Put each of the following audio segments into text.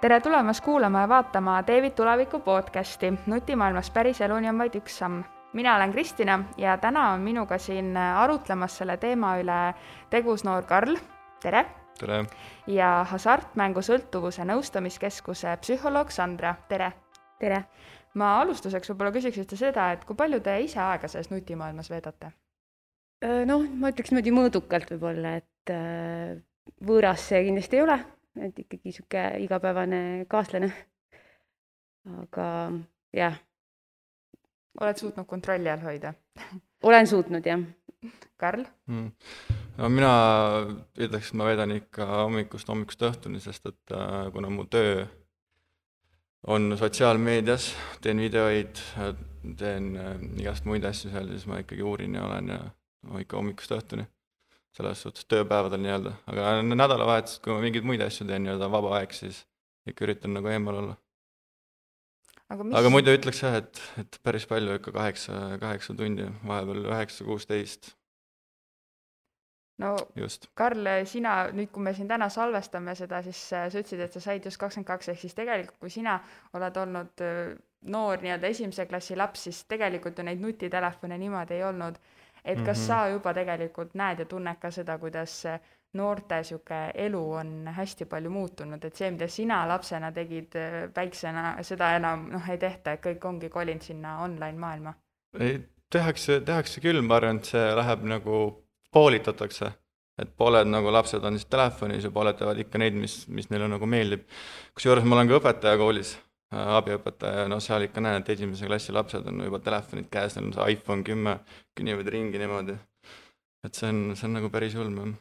Tere tulemast kuulama ja vaatama Teevid tuleviku podcasti. Nutimaailmas päris eluni on vaid üks samm. Mina olen Kristina ja täna on minuga siin arutlemas selle teema üle tegus noor Karl. Tere! Tere! Ja hasartmängu sõltuvuse nõustamiskeskuse psühholoog Sandra. Tere! Tere! Ma alustuseks võib-olla küsiksite seda, et kui palju te ise aega selles nutimaailmas veedate? Ma ütleks niimoodi mõõdukalt võib-olla, et võõras see kindlasti ei ole, et ikkagi sihuke igapäevane kaaslane. Aga jah. Oled suutnud kontrolli all hoida? Olen suutnud, jah. Karl? No mina ütleks, et ma veedan ikka hommikust õhtuni, sest et kuna mu töö on sotsiaalmeedias, teen videoid, teen igast muid asju seal, siis ma ikkagi uurin ja olen ja ikka hommikust õhtuni. Selles suhtes tööpäevadel nii-öelda. Aga nädalavahetusest, kui ma mingeid muid asju teen nii-öelda vaba aeg, siis ikka üritan nagu eemal olla. Aga muidu ütleks jah, et päris palju ikka 8 tundi, vahepeal 9-16. No just. Karl, sina, nüüd kui me siin täna salvestame seda, siis sa ütlesid, et sa said just 22, ehk siis tegelikult kui sina oled olnud noor nii-öelda esimese klassi laps, siis tegelikult ju neid nutitelefone niimoodi ei olnud. Et kas sa juba tegelikult näed ja tunned ka seda, kuidas noorte siuke elu on hästi palju muutunud, et see, mida sina lapsena tegid väiksena, seda enam ei tehta, et kõik ongi kolinud sinna online maailma? Tehakse küll, ma arvan, et see läheb nagu poolitatakse, et pooled nagu lapsed on siis telefonis ja pooled teevad ikka neid, mis neile nagu meeldib. Kusjuures ma olen ka õpetaja koolis, abiõpetaja, seal ikka näen, et esimese klassi lapsed on juba telefonid käes, neil on see iPhone 10, künivad ringi niimoodi. Et see on nagu päris ulm.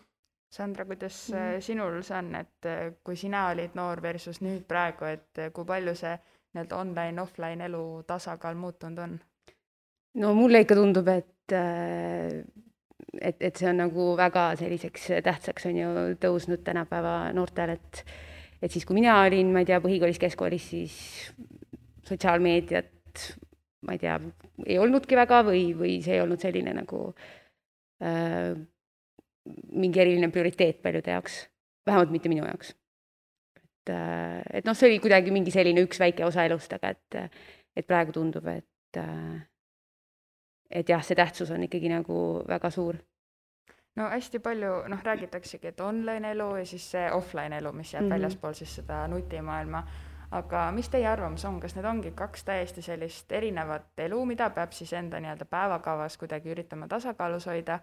Sandra, kuidas sinul see on, et kui sina olid noor versus nüüd praegu, et kui palju see online-offline elu tasakaal muutunud on? No mulle ikka tundub, et see on nagu väga selliseks tähtsaks on ju tõusnud tänapäeva noortel, et siis kui mina olin, ma ei tea, põhikoolis, keskkoolis, siis sotsiaalmeediat, ma ei tea, ei olnudki väga või see ei olnud selline nagu mingi eriline prioriteet paljude jaoks, vähemalt mitte minu jaoks. Et see oli kuidagi mingi selline üks väike osa elust, aga et praegu tundub, et jah, see tähtsus on ikkagi nagu väga suur. No hästi palju räägitaksegi, et online elu ja siis see offline elu, mis jääb väljaspool siis seda nutimaailma. Aga mis teie arvamus on? Kas need ongi kaks täiesti sellist erinevat elu, mida peab siis enda nii-öelda päevakavas kuidagi üritama tasakaalus hoida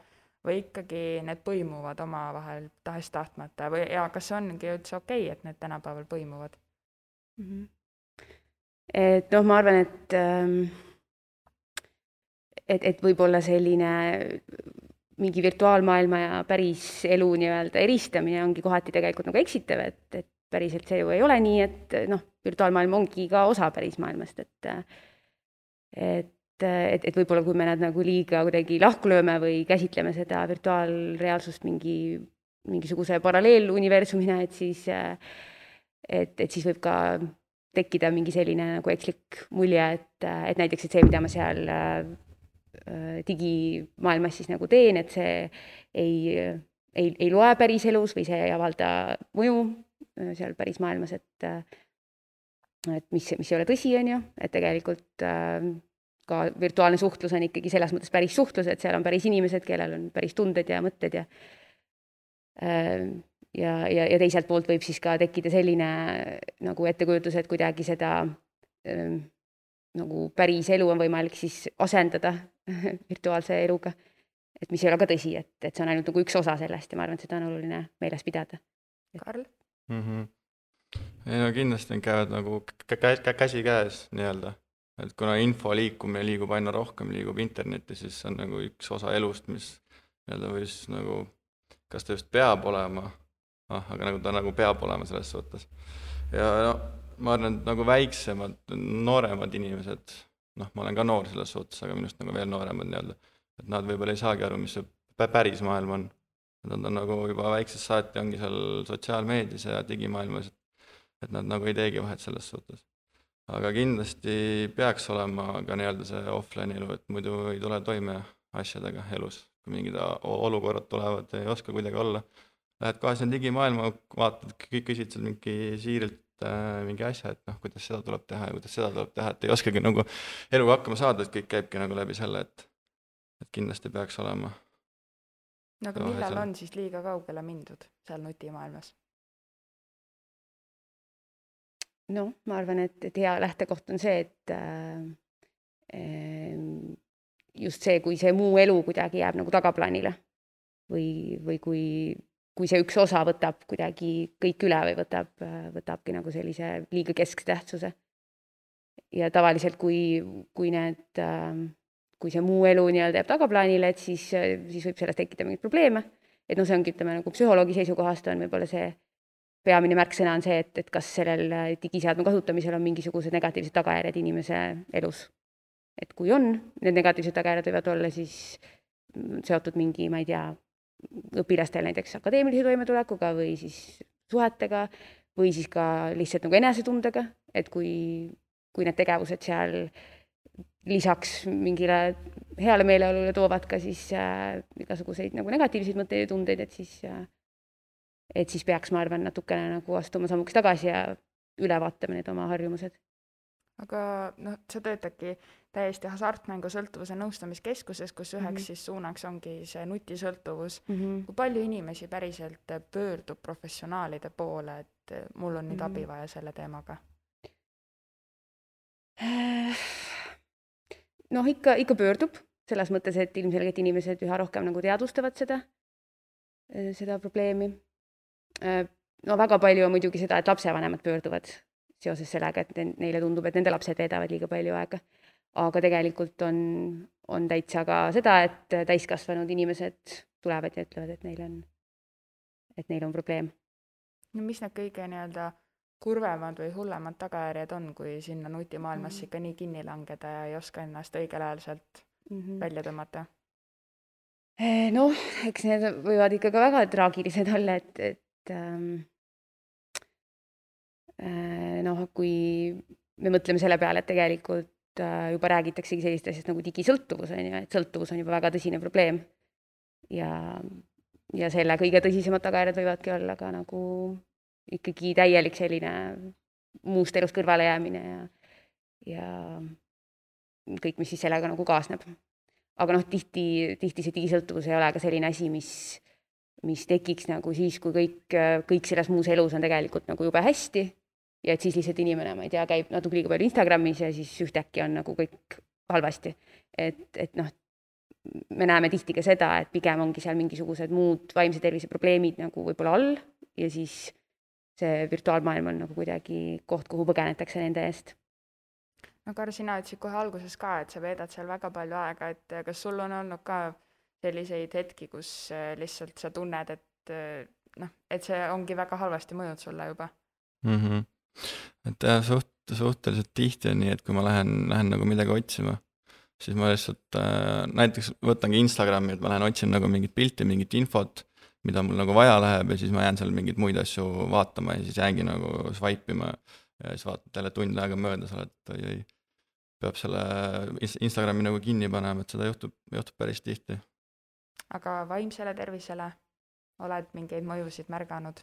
või ikkagi need põimuvad omavahel tahest tahtmata ja kas ongi üldse okei, et need tänapäeval põimuvad? Et ma arvan, et võib-olla selline mingi virtuaalmaailma ja päris elu nii-öelda eristamine ongi kohati tegelikult nagu eksitav, et päriselt see ju ei ole nii, et virtuaalmaailm ongi ka osa päris maailmast, et võib-olla kui me nad nagu liiga kuidagi lahku lööme või käsitleme seda virtuaalreaalsust mingisuguse paralleeluniversumina, et siis võib ka tekkida mingi selline nagu ekslik mulje, et näiteks et see, mida ma seal digimaailmas siis nagu teen, et see ei loe päris elus või see ei avalda mõju seal päris maailmas, et mis ei ole tõsi, on ju, et tegelikult ka virtuaalne suhtlus on ikkagi selles mõttes päris suhtlus, et seal on päris inimesed, kellel on päris tunded ja mõtted ja teiselt poolt võib siis ka tekkida selline nagu ettekujutus, et kuidagi seda nagu päris elu on võimalik siis asendada virtuaalse eluga, et mis ei ole ka tõsi, et see on ainult nagu üks osa sellest ja ma arvan, et seda on oluline meeles pidada. Karl? Kindlasti käivad nagu käsi käes nii-öelda, et kuna info liikumine liigub aina rohkem, liigub internetti, siis see on nagu üks osa elust, mis nii-öelda või siis nagu, kas ta just peab olema, aga nagu ta nagu peab olema selles suhtes. Ja ma arvan, et nagu väiksemad, nooremad inimesed, ma olen ka noor selles suhtes, aga minust nagu veel nooremad nii-öelda, et nad võib-olla ei saagi aru, mis see päris maailm on. Nad on nagu juba väiksest saati ongi seal sotsiaalmeedias ja digimaailmas, et nad nagu ei teegi vahet selles suhtes. Aga kindlasti peaks olema ka nii-öelda see offline elu, et muidu ei tule toime asjadega elus, kui mingid olukorrad tulevad, ei oska kuidagi olla. Lähed kohe sinna digimaailma, vaatad, küsid seal mingi siirilt mingi asja, et noh, kuidas seda tuleb teha ja kuidas seda tuleb teha, et ei oskagi nagu eluga hakkama saada, et kõik käibki nagu läbi selle, et kindlasti peaks olema. No aga millal on siis liiga kaugele mindud seal nutimaailmas? No, ma arvan, et hea lähtekoht on see, et just see, kui see muu elu kuidagi jääb nagu tagaplaanile või kui see üks osa võtab kuidagi kõik üle või võtabki nagu sellise liiga keskse tähtsuse. Ja tavaliselt, kui see muu elu nii-öelda jääb tagaplaanile, et siis võib sellest tekkida mingeid probleeme. Et no see ongi, ütleme, nagu psühholoogi seisukohast on võib-olla see peamine märksõna on see, et kas sellel digiseadme kasutamisel on mingisugused negatiivsed tagajärjed inimese elus. Et kui on, need negatiivsed tagajärjed võivad olla siis seotud mingi, ma ei tea, õpilastel näiteks akadeemilise toimetulekuga või siis suhetega või siis ka lihtsalt nagu enesetundega, et kui need tegevused seal lisaks mingile heale meeleolule toovad ka siis igasuguseid nagu negatiivseid mõtteid ja tundeid, et siis peaks, ma arvan, natukene nagu astuma sammuks tagasi ja üle vaatama need oma harjumused. Aga noh, sa töötadki täiesti hasartmängusõltuvuse nõustamiskeskuses, kus üheks siis suunaks ongi see nutisõltuvus. Kui palju inimesi päriselt pöördub professionaalide poole, et mul on nüüd abi vaja selle teemaga? Noh, ikka pöördub, selles mõttes, et ilmselgelt inimesed üha rohkem nagu teadvustavad seda probleemi. No väga palju on muidugi seda, et lapsevanemad pöörduvad seoses sellega, et neile tundub, et nende lapsed veedavad liiga palju aega. Aga tegelikult on täitsa ka seda, et täiskasvanud inimesed tulevad ja ütlevad, et neil on probleem. No mis need kõige nii-öelda kurvemad või hullemad tagajärjed on, kui sinna nutimaailmasse ikka nii kinni langeda ja ei oska ennast õigel ajal sealt välja tõmmata? Noh, eks need võivad ikka ka väga traagilised olla, et kui me mõtleme selle peale, et tegelikult juba räägitaksegi sellist asjast nagu digisõltuvus, et sõltuvus on juba väga tõsine probleem ja selle kõige tõsisemad tagajärjed võivadki olla ka nagu ikkagi täielik selline muust elust kõrvale jäämine ja kõik, mis siis sellega nagu kaasneb. Aga noh, tihti see digisõltuvus ei ole ka selline asi, mis tekiks nagu siis, kui kõik selles muus elus on tegelikult nagu jube hästi ja et siis lihtsalt inimene, ma ei tea, käib natuke liiga palju Instagramis ja siis ühtäkki on nagu kõik halvasti. Et noh, me näeme tihti ka seda, et pigem ongi seal mingisugused muud vaimse tervise probleemid nagu võib-olla all ja siis see virtuaalmaailm on nagu kuidagi koht, kuhu põgenetakse nende eest. No Kar, sina ütlesid kohe alguses ka, et sa veedad seal väga palju aega, et kas sul on olnud ka selliseid hetki, kus lihtsalt sa tunned, et see ongi väga halvasti mõjud sulle juba? Et suhteliselt tihti on nii, et kui ma lähen nagu midagi otsima, siis ma lihtsalt näiteks võtangi Instagrami, et ma lähen otsin nagu mingit pilti, mingit infot, mida mul nagu vaja läheb ja siis ma jään seal mingeid muid asju vaatama ja siis jäängi nagu swipe'ima ja siis vaatad jälle tund aega mööda, sa oled, peab selle Instagrami nagu kinni panema, et seda juhtub päris tihti. Aga vaimsele tervisele oled mingeid mõjusid märganud?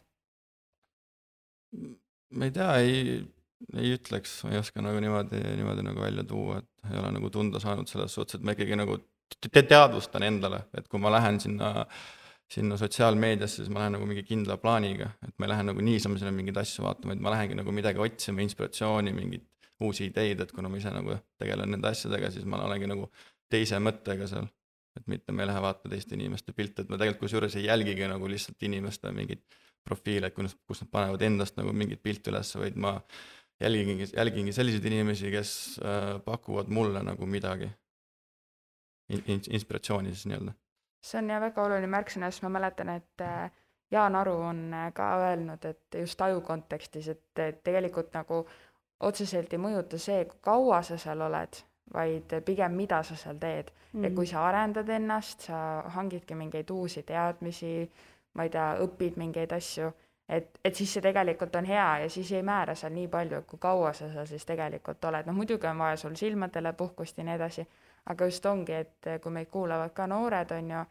Ma ei tea, ei ütleks, ma ei oska nagu niimoodi nagu välja tuua, et ei ole nagu tunda saanud selles suhtes, et ma ikkagi nagu teadvustan endale, et kui ma lähen sinna sotsiaalmeediasse, siis ma lähen nagu mingi kindla plaaniga, et ma ei lähe nagu niisama sinna mingeid asju vaatama, et ma lähengi nagu midagi otsima, inspiratsiooni, mingeid uusi ideid, et kuna ma ise nagu tegelen nende asjadega, siis ma olengi nagu teise mõttega seal, et mitte ma ei lähe vaatama teiste inimeste pilte, et ma tegelikult kusjuures ei jälgigi nagu lihtsalt inimeste mingid profiile, et kus nad panevad endast nagu mingit pilti üles, vaid ma jälgingi selliseid inimesi, kes pakuvad mulle nagu midagi, inspiratsiooni siis nii-öelda. See on väga oluline märksõna, sest ma mäletan, et Jaan Aru on ka öelnud, et just aju kontekstis, et tegelikult nagu otseselt ei mõjuta see, kui kaua sa seal oled, vaid pigem mida sa seal teed. Ja kui sa arendad ennast, sa hangidki mingeid uusi teadmisi, ma ei tea, õpid mingeid asju, et siis see tegelikult on hea ja siis ei määra seal nii palju, kui kaua sa seal siis tegelikult oled. No muidugi on vaja sul silmadele puhkust ja nii edasi, aga just ongi, et kui meid kuulavad ka noored, on ju,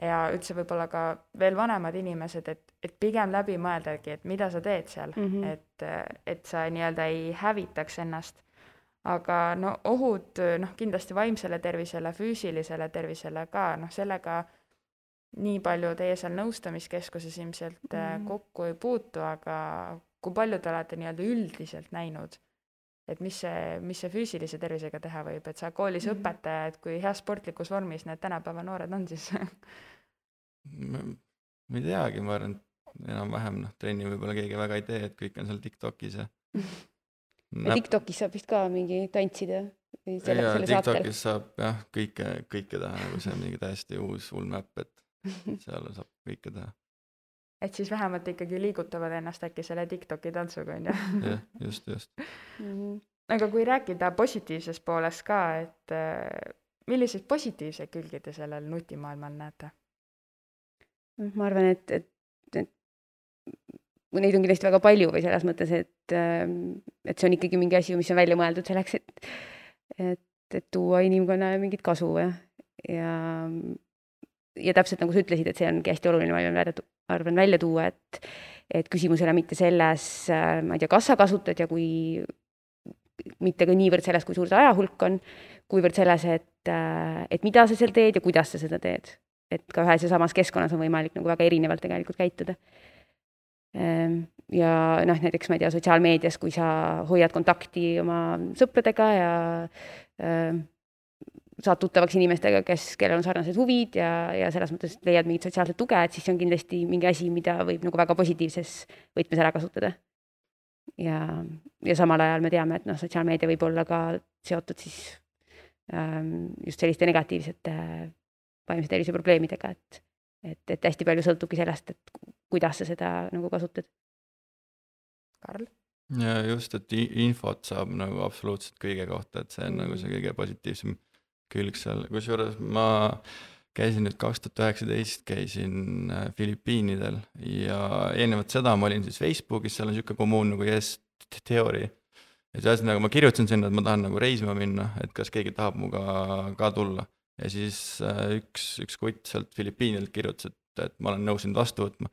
ja üldse võib-olla ka veel vanemad inimesed, et pigem läbi mõeldagi, et mida sa teed seal, et sa nii-öelda ei hävitaks ennast. Aga no ohud, noh, kindlasti vaimsele tervisele, füüsilisele tervisele ka, noh, sellega nii palju teie seal nõustamiskeskuses ilmselt kokku ei puutu, aga kui palju te olete nii-öelda üldiselt näinud, et mis see füüsilise tervisega teha võib, et sa koolis õpetaja, et kui hea sportlikus vormis need tänapäeva noored on siis? Ma ei teagi, ma arvan, et enam-vähem, noh, trenni võib-olla keegi väga ei tee, et kõik on seal TikTokis ja TikTokis saab vist ka mingi tantsida või selle saatel. TikTokis saab jah, kõike teha, nagu see on mingi täiesti uus ulmäpp, et seal saab kõike teha. Et siis vähemalt ikkagi liigutavad ennast äkki selle TikToki tantsuga, on ju? Jah, just. Aga kui rääkida positiivsest poolest ka, et milliseid positiivseid külgi te sellel nutimaailmal näete? Ma arvan, et neid on kindlasti väga palju või selles mõttes, et see on ikkagi mingi asi, mis on välja mõeldud selleks, et tuua inimkonnale mingit kasu ja täpselt nagu sa ütlesid, et see ongi hästi oluline, ma arvan välja tuua, et küsimus ei ole mitte selles, ma ei tea, kas sa kasutad ja kui mitte ka niivõrd selles, kui suur see ajahulk on, kuivõrd selles, et mida sa seal teed ja kuidas sa seda teed. Et ka ühes ja samas keskkonnas on võimalik nagu väga erinevalt tegelikult käituda. Ja noh, näiteks ma ei tea, sotsiaalmeedias, kui sa hoiad kontakti oma sõpradega ja saad tuttavaks inimestega, kellel on sarnased huvid ja selles mõttes leiad mingit sotsiaalset tuge, et siis see on kindlasti mingi asi, mida võib nagu väga positiivses võtmes ära kasutada. Ja samal ajal me teame, et noh, sotsiaalmeedia võib olla ka seotud siis just selliste negatiivsete vaimse tervise probleemidega, et hästi palju sõltubki sellest, et kuidas sa seda nagu kasutad. Karl? Ja just, et infot saab nagu absoluutselt kõige kohta, et see on nagu see kõige positiivsem külg seal. Kusjuures ma käisin nüüd 2019, käisin Filipiinidel ja eelnevalt seda ma olin siis Facebookis, seal on niisugune kommuun nagu Yes Theory. Ja siis nagu ma kirjutasin sinna, et ma tahan nagu reisima minna, et kas keegi tahab muga ka tulla. Ja siis üks kutt sealt Filipiinidelt kirjutas, et ma olen nõus sind vastu võtma,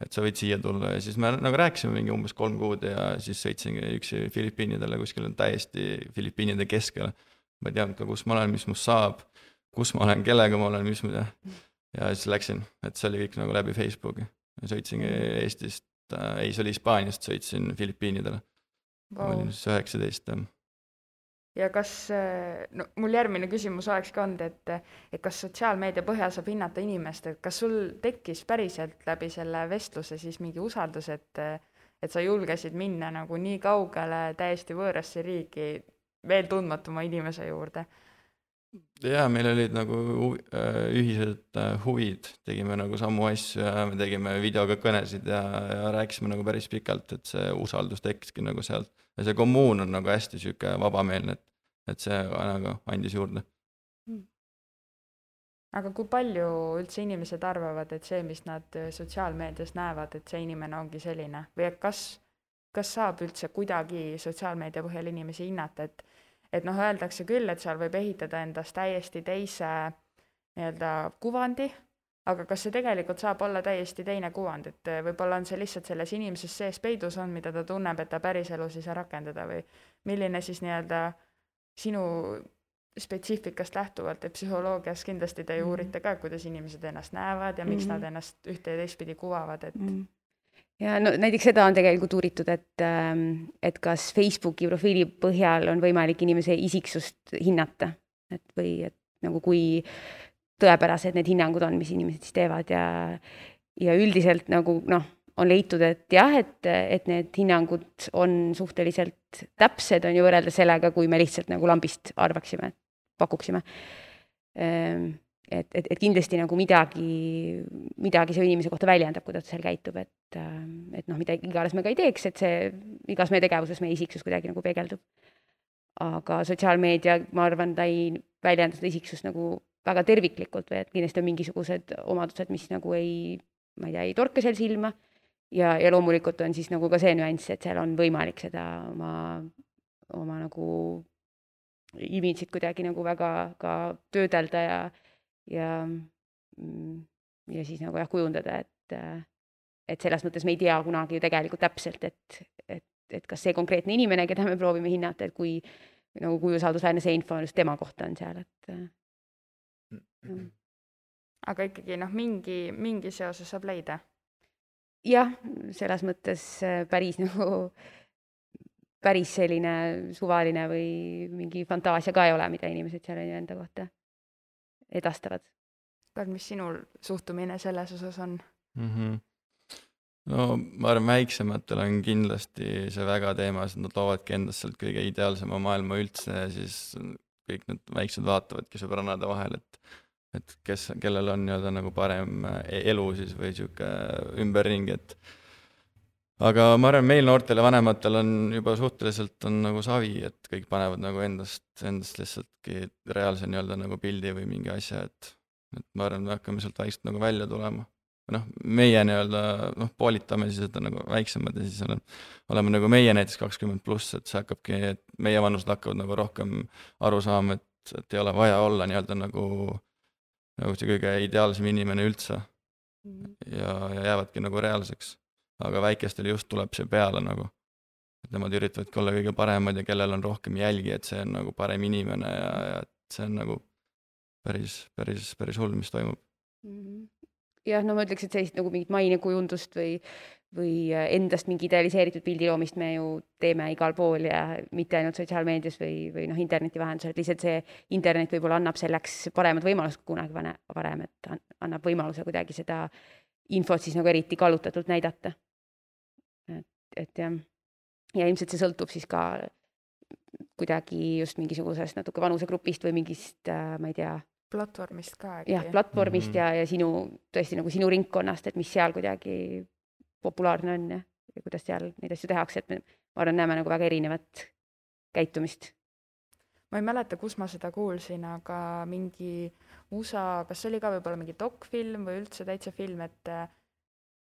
et sa võid siia tulla. Ja siis me nagu rääkisime mingi umbes 3 kuud ja siis sõitsingi üksi Filipiinidele, kuskil on täiesti Filipiinide keskele. Ma ei teadnud ka, kus ma olen, mis must saab, kus ma olen, kellega ma olen, mis ma tea. Ja siis läksin, et see oli kõik nagu läbi Facebooki. Sõitsingi Eestist, ei, see oli Hispaaniast, sõitsin Filipiinidele. Ma olin siis 19. Ja kas, no mul järgmine küsimus oleks ka olnud, et kas sotsiaalmeedia põhjal saab hinnata inimest, et kas sul tekkis päriselt läbi selle vestluse siis mingi usaldus, et sa julgesid minna nagu nii kaugele täiesti võõrasse riigi veel tundmatuma inimese juurde? Jaa, meil olid nagu ühised huvid, tegime nagu samu asju ja me tegime videoga kõnesid ja rääkisime nagu päris pikalt, et see usaldus tekkiski nagu sealt. Ja see kommuun on nagu hästi süke vabameelne, et see nagu andis juurde. Aga kui palju üldse inimesed arvavad, et see, mis nad sotsiaalmeedias näevad, et see inimene ongi selline? Või kas saab üldse kuidagi sotsiaalmeedia põhjal inimesi hinnata, et noh, öeldakse küll, et seal võib ehitada endast täiesti teise nii-öelda kuvandi, aga kas see tegelikult saab olla täiesti teine kuvand, et võib-olla on see lihtsalt selles inimeses sees peidus on, mida ta tunneb, et ta päriselus ei saa rakendada või milline siis nii-öelda sinu spetsiifikast lähtuvalt, et psühholoogias kindlasti te uurite ka, kuidas inimesed ennast näevad ja miks nad ennast ühte ja teistpidi kuvavad, et Ja no näiteks seda on tegelikult uuritud, et kas Facebooki profiili põhjal on võimalik inimese isiksust hinnata, või et nagu kui tõepärased need hinnangud on, mis inimesed siis teevad ja üldiselt nagu noh, on leitud, et jah, et need hinnangud on suhteliselt täpsed, on ju võrreldes sellega, kui me lihtsalt nagu lambist arvaksime, pakuksime. Et kindlasti nagu midagi see inimese kohta väljendab, kuidas ta seal käitub, et noh, mida iganes me ka ei teeks, et see igas meie tegevuses meie isiksus kuidagi nagu peegeldub. Aga sotsiaalmeedia, ma arvan, ta ei väljenda seda isiksust nagu väga terviklikult või et kindlasti on mingisugused omadused, mis nagu ei torka seal silma ja loomulikult on siis nagu ka see nüanss, et seal on võimalik seda oma nagu imidžit kuidagi nagu väga ka töödelda ja ja siis nagu jah, kujundada, et selles mõttes me ei tea kunagi ju tegelikult täpselt, et kas see konkreetne inimene, keda me proovime hinnata, et kui usaldusväärne see info just tema kohta on seal, Aga ikkagi mingi seose saab leida. Jah, selles mõttes päris selline suvaline või mingi fantaasia ka ei ole, mida inimesed seal enda kohta edastavad. Karl, mis sinul suhtumine selles osas on? No ma arvan, väiksematel on kindlasti see väga teemas, et nad loovadki endast sealt kõige ideaalsema maailma üldse ja siis kõik need väiksed vaatavadki sõbrannade vahel, et kellel on nii-öelda nagu parem elu siis või sihuke ümberringi, et aga ma arvan, meil noortel ja vanematel on juba suhteliselt on nagu savi, et kõik panevad nagu endast lihtsaltki reaalse nii-öelda nagu pildi või mingi asja, et ma arvan, me hakkame sealt vaikselt nagu välja tulema. Meie nii-öelda poolitame siis, et on nagu väiksemad ja siis oleme nagu meie näiteks 20+, et see hakkabki, et meie vanused hakkavad nagu rohkem aru saama, et ei ole vaja olla nii-öelda nagu see kõige ideaalsem inimene üldse ja jäävadki nagu reaalseks. Aga väikestel just tuleb see peale nagu, et nemad üritavadki olla kõige paremad ja kellel on rohkem jälgi, et see on nagu parem inimene ja et see on nagu päris hull, mis toimub. Jah, no ma ütleks, et sellist nagu mingit mainekujundust või endast mingi idealiseeritud pildiloomist me ju teeme igal pool ja mitte ainult sotsiaalmeedias või interneti vahendusel, et lihtsalt see internet võib-olla annab selleks paremad võimalused kunagi varem, et annab võimaluse kuidagi seda infot siis nagu eriti kallutatult näidata. Et jah, ja ilmselt see sõltub siis ka kuidagi just mingisugusest natuke vanusegrupist või mingist, ma ei tea, platvormist ka. Jah, platvormist ja tõesti nagu sinu ringkonnast, et mis seal kuidagi populaarne on ja kuidas seal neid asju tehakse, et me arvan, näeme nagu väga erinevat käitumist. Ma ei mäleta, kus ma seda kuulsin, aga mingi USA, kas oli ka võib-olla mingi dokfilm või üldse täitsa film, et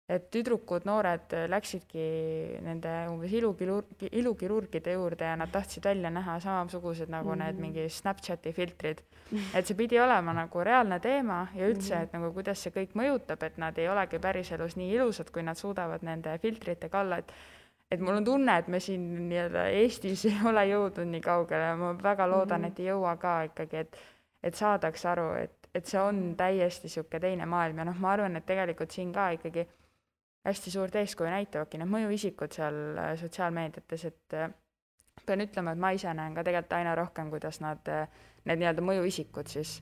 tüdrukud, noored läksidki nende umbes ilukirurgide juurde ja nad tahtsid välja näha samasugused nagu need mingi Snapchati filtrid. Et see pidi olema nagu reaalne teema ja üldse, et nagu kuidas see kõik mõjutab, et nad ei olegi päriselus nii ilusad, kui nad suudavad nende filtrite kalla, et mul on tunne, et me siin nii-öelda Eestis ei ole jõudnud nii kaugele ja ma väga loodan, et ei jõua ka ikkagi, et saadaks aru, et see on täiesti sihuke teine maailm ja ma arvan, et tegelikult siin ka ikkagi hästi suurt eeskuju näitavadki need mõjuisikud seal sotsiaalmeediates, et pean ütlema, et ma ise näen ka tegelikult aina rohkem, kuidas need nii-öelda mõjuisikud siis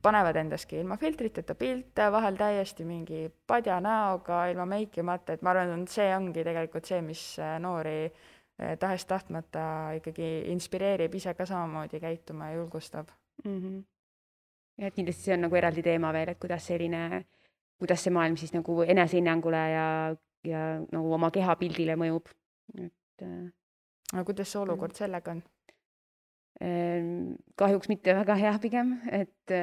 panevad endaski ilma filtriteta pilte, vahel täiesti mingi padja näoga, ilma meikimata, et ma arvan, et see ongi tegelikult see, mis noori tahes-tahtmata ikkagi inspireerib ise ka samamoodi käituma ja julgustab. Ja kindlasti see on nagu eraldi teema veel, et kuidas see maailm siis nagu enesehinnangule ja nagu oma kehapildile mõjub. Aga kuidas see olukord sellega on? Kahjuks mitte väga hea pigem, et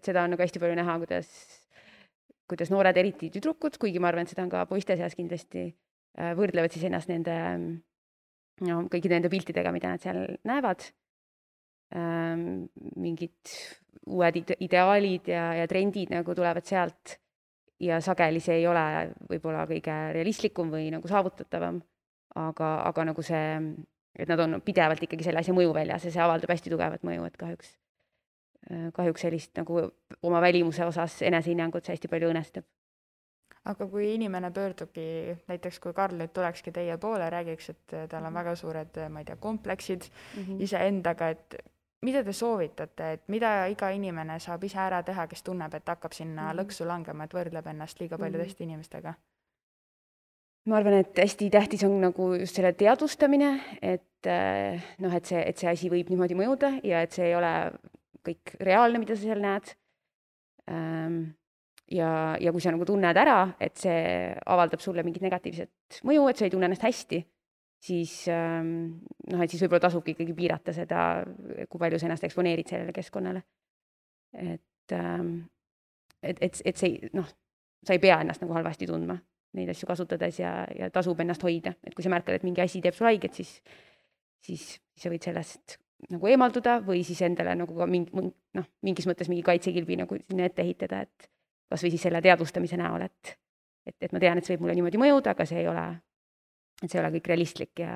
seda on nagu hästi palju näha, kuidas noored, eriti tüdrukud, kuigi ma arvan, et seda on ka poiste seas kindlasti, võrdlevad siis ennast kõikide nende piltidega, mida nad seal näevad. Mingid uued ideaalid ja trendid nagu tulevad sealt ja sageli see ei ole võib-olla kõige realistlikum või nagu saavutatavam, aga nagu see, et nad on pidevalt ikkagi selle asja mõju väljas ja see avaldab hästi tugevat mõju, et kahjuks sellist nagu oma välimuse osas enesehinnangut see hästi palju õõnestab. Aga kui inimene pöördubki, näiteks kui Karl nüüd tulekski teie poole, räägiks, et tal on väga suured, ma ei tea, kompleksid iseendaga, et mida te soovitate, et mida iga inimene saab ise ära teha, kes tunneb, et hakkab sinna lõksu langema, et võrdleb ennast liiga palju teiste inimestega? Ma arvan, et hästi tähtis on nagu just selle teadvustamine, et see asi võib niimoodi mõjuda ja et see ei ole kõik reaalne, mida sa seal näed. Ja kui sa nagu tunned ära, et see avaldab sulle mingit negatiivset mõju, et sa ei tunne ennast hästi, siis võib-olla tasubki ikkagi piirata seda, kui palju sa ennast eksponeerid sellele keskkonnale. Et see, sa ei pea ennast nagu halvasti tundma neid asju kasutades ja tasub ennast hoida. Et kui sa märkad, et mingi asi teeb sul haiget, siis sa võid sellest nagu eemalduda või siis endale nagu ka mingis mõttes mingi kaitsekilbi nagu sinna ette ehitada, kas või siis selle teadvustamise näol, et ma tean, et see võib mulle niimoodi mõjuda, aga see ei ole kõik realistlik ja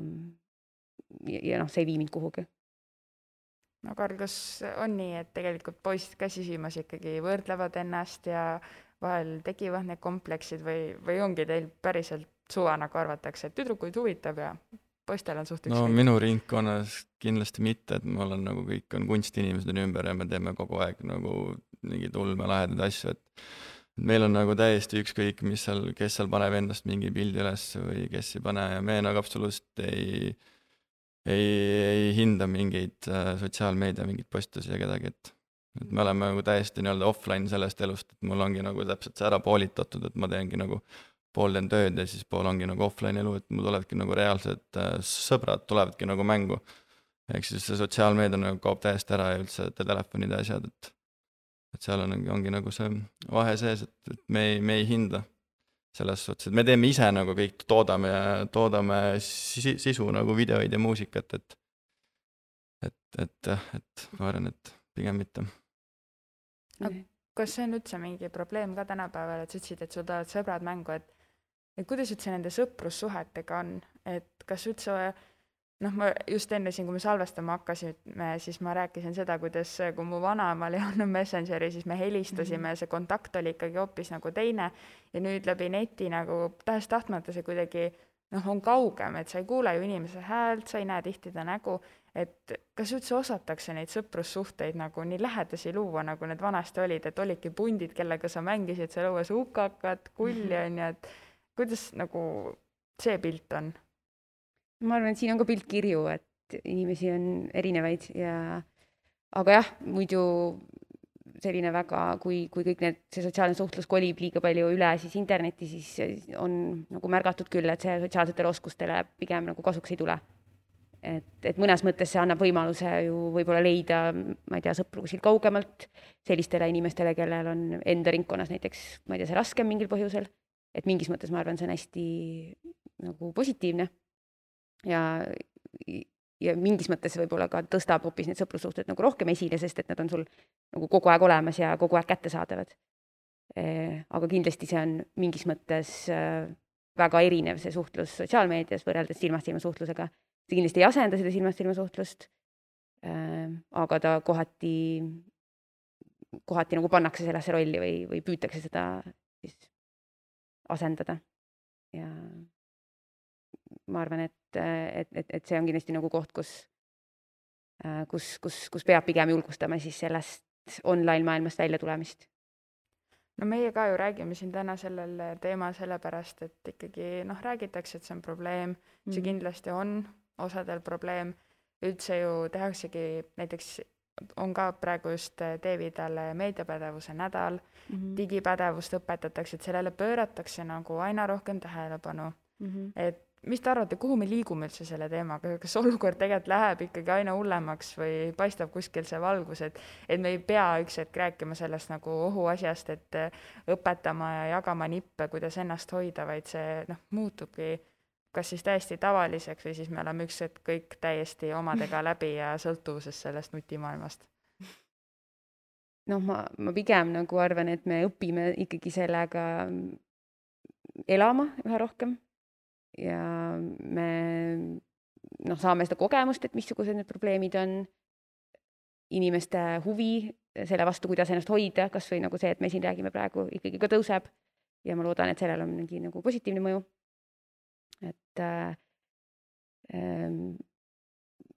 noh, see ei vii mind kuhugi. No Karl, kas on nii, et tegelikult poisid ka sisimas ikkagi võrdlevad ennast ja vahel tekivad need kompleksid või ongi teil päriselt suva, nagu arvatakse, et tüdrukuid huvitab ja poistel on suht no minu ringkonnas kindlasti mitte, et mul on nagu kõik on kunstinimesed ümber ja me teeme kogu aeg nagu mingeid ulmelahedaid asju, et meil on nagu täiesti ükskõik, kes seal paneb endast mingi pildi üles või kes ei pane ja me nagu absoluutselt ei hinda mingeid sotsiaalmeedia, mingeid postusi ja kedagi, et me oleme nagu täiesti nii-öelda offline sellest elust, et mul ongi nagu täpselt see ära poolitatud, et ma teengi nagu pool teen tööd ja siis pool ongi nagu offline elu, et mul tulevadki nagu reaalsed sõbrad tulevadki nagu mängu. Ehk siis see sotsiaalmeedia nagu kaob täiesti ära ja üldse telefonid ja asjad, et seal ongi nagu see vahe sees, et me ei hinda selles suhtes, et me teeme ise nagu kõik, toodame sisu nagu videoid ja muusikat, et ma arvan, et pigem mitte. Kas see on üldse mingi probleem ka tänapäeval, et sa ütlesid, et sul tulevad sõbrad mängu, et kuidas üldse nende sõprussuhetega on, et kas üldse, noh, ma just enne siin, kui me salvestama hakkasime, siis ma rääkisin seda, kuidas kui mu vanaemal ei olnud Messengeri, siis me helistasime ja see kontakt oli ikkagi hoopis nagu teine ja nüüd läbi neti nagu tahes-tahtmata see kuidagi on kaugem, et sa ei kuule ju inimese häält, sa ei näe tihti ta nägu, et kas üldse osatakse neid sõprussuhteid nagu nii lähedasi luua, nagu need vanasti olid, et olidki pundid, kellega sa mängisid seal õues hukakat, kulli on ju, et kuidas nagu see pilt on? Ma arvan, et siin on ka pilt kirju, et inimesi on erinevaid aga jah, muidu selline väga, kui kõik see sotsiaalne suhtlus kolib liiga palju üle siis internetti, siis on nagu märgatud küll, et see sotsiaalsetele oskustele pigem nagu kasuks ei tule. Et mõnes mõttes see annab võimaluse ju võib-olla leida, ma ei tea, sõpru kuskil kaugemalt sellistele inimestele, kellel on enda ringkonnas näiteks, ma ei tea, see raskem mingil põhjusel, et mingis mõttes ma arvan, see on hästi nagu positiivne ja mingis mõttes võib-olla ka tõstab hoopis need sõprussuhted nagu rohkem esile, sest et nad on sul nagu kogu aeg olemas ja kogu aeg kättesaadavad. Aga kindlasti see on mingis mõttes väga erinev see suhtlus sotsiaalmeedias võrreldes silmast-silma suhtlusega. See kindlasti ei asenda seda silmast-silma suhtlust, aga ta kohati nagu pannakse sellesse rolli või püütakse seda siis asendada. Ja ma arvan, et see on kindlasti nagu koht, kus peab pigem julgustama siis sellest online maailmast välja tulemist. No meie ka ju räägime siin täna sellel teemal sellepärast, et ikkagi räägitakse, et see on probleem, see kindlasti on osadel probleem, üldse ju tehaksegi, näiteks on ka praegu just Teevidale meediapädevuse nädal, digipädevust õpetatakse, et sellele pööratakse nagu aina rohkem tähelepanu, et mis te arvate, kuhu me liigume üldse selle teemaga, kas olukord tegelikult läheb ikkagi aina hullemaks või paistab kuskil see valgus, et me ei pea üks hetk rääkima sellest nagu ohuasjast, et õpetama ja jagama nippe, kuidas ennast hoida, vaid see muutubki kas siis täiesti tavaliseks või siis me oleme üks hetk kõik täiesti omadega läbi ja sõltuvuses sellest nutimaailmast? Ma pigem nagu arvan, et me õpime ikkagi sellega elama üha rohkem ja me saame seda kogemust, et missugused need probleemid on, inimeste huvi selle vastu, kuidas ennast hoida, kas või nagu see, et me siin räägime praegu, ikkagi ka tõuseb ja ma loodan, et sellel on mingi nagu positiivne mõju. Et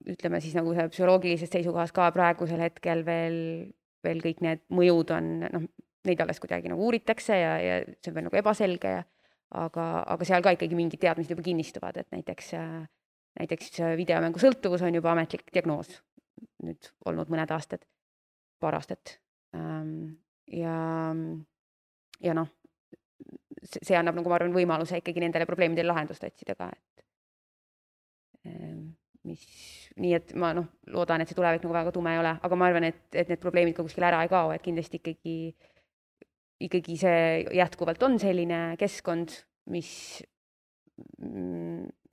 ütleme siis nagu see psühholoogilisest seisukohast ka praegusel hetkel veel kõik need mõjud on, neid alles kuidagi nagu uuritakse ja see on veel nagu ebaselge aga seal ka ikkagi mingid teadmised juba kinnistuvad, et näiteks videomängu sõltuvus on juba ametlik diagnoos nüüd olnud mõned aastad, paar aastat. Ja see annab nagu ma arvan võimaluse ikkagi nendele probleemidele lahendust otsida ka, nii et ma loodan, et see tulevik nagu väga tume ei ole, aga ma arvan, et need probleemid ka kuskil ära ei kao, et kindlasti ikkagi see jätkuvalt on selline keskkond,